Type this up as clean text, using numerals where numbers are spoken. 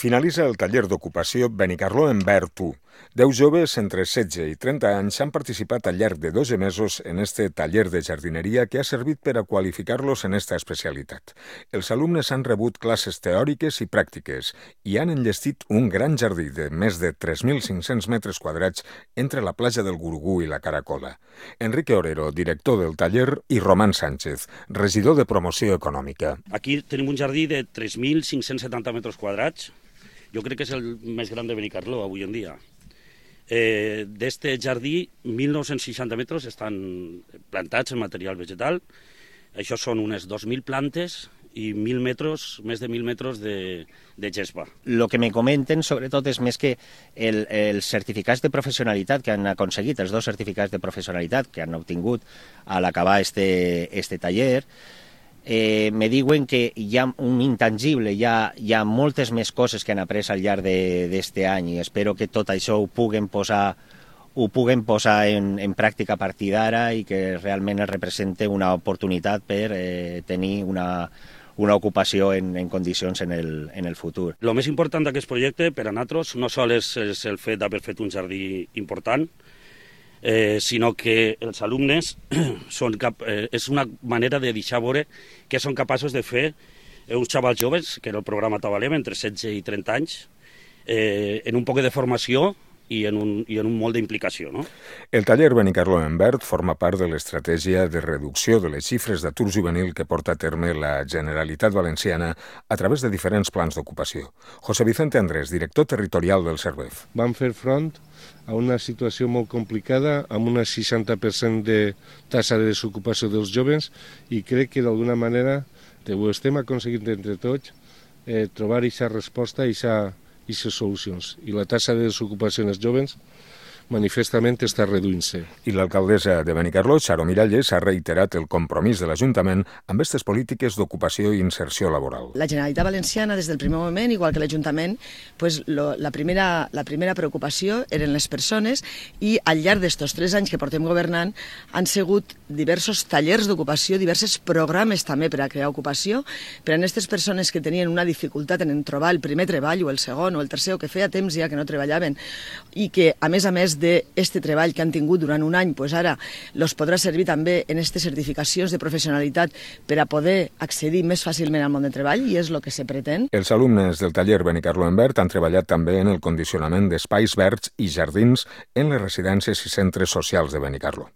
Finalitza el taller d'ocupació Benicarló en Verd 1. 10 joves entre 16 i 30 anys han participat al llarg de 12 mesos en este taller de jardineria que ha servit per a qualificar-los en esta especialitat. Els alumnes han rebut classes teòriques i pràctiques i han enllestit un gran jardí de més de 3.500 metres quadrats entre la platja del Gurugú i la Caracola. Enrique Orero, director del taller, i Román Sánchez, regidor de Promoció Econòmica. Aquí tenim un jardí de 3.570 metres quadrats. Jo crec que és el més gran de Benicarló avui en dia. D'este jardí, 1.960 metres estan plantats en material vegetal. Això són unes 2.000 plantes i 1.000 metres, més de 1.000 metres de gespa. Lo que me comenten, sobretot, és més que els certificats de professionalitat que han aconseguit, els 2 certificats de professionalitat que han obtingut a l'acabar este taller, me diuen que hi ha un intangible, hi ha moltes més coses que han après al llarg d'este any i espero que tot això ho puguen posar en pràctica a partir d'ara i que realment es represente una oportunitat per tenir una ocupació en condicions en el futur. El més important d'aquest projecte per a nosaltres no sols és el fet d'haver fet un jardí important, sinó que els alumnes és una manera de deixar veure que són capaços de fer uns xavals joves, que era el programa Tabalem, entre 16 i 30 anys, en un poc de formació i en un molt d'implicació, no? El taller Benicarló en Verd forma part de l'estratègia de reducció de les xifres d'atur juvenil que porta a terme la Generalitat Valenciana a través de diferents plans d'ocupació. José Vicente Andrés, director territorial del Servef. Vam fer front a una situació molt complicada, amb un 60% de taxa de desocupació dels joves, i crec que d'alguna manera ho estem aconseguint entre tots trobar aquesta resposta i aquestes solucions. I la taxa de desocupació en els joves manifestament està reduint-se. I l'alcaldessa de Benicarló, Charo Miralles, ha reiterat el compromís de l'Ajuntament amb aquestes polítiques d'ocupació i inserció laboral. La Generalitat Valenciana, des del primer moment, igual que l'Ajuntament, la primera preocupació eren les persones i al llarg d'estos 3 anys que portem governant han sigut diversos tallers d'ocupació, diversos programes també per a crear ocupació, per a aquestes persones que tenien una dificultat en trobar el primer treball o el segon o el tercer o que feia temps ja que no treballaven i que, a més d'este treball que han tingut durant un any, ara els podrà servir també en aquestes certificacions de professionalitat per a poder accedir més fàcilment al món de treball i és el que se pretén. Els alumnes del taller Benicarló en Verd han treballat també en el condicionament d'espais verds i jardins en les residències i centres socials de Benicarló.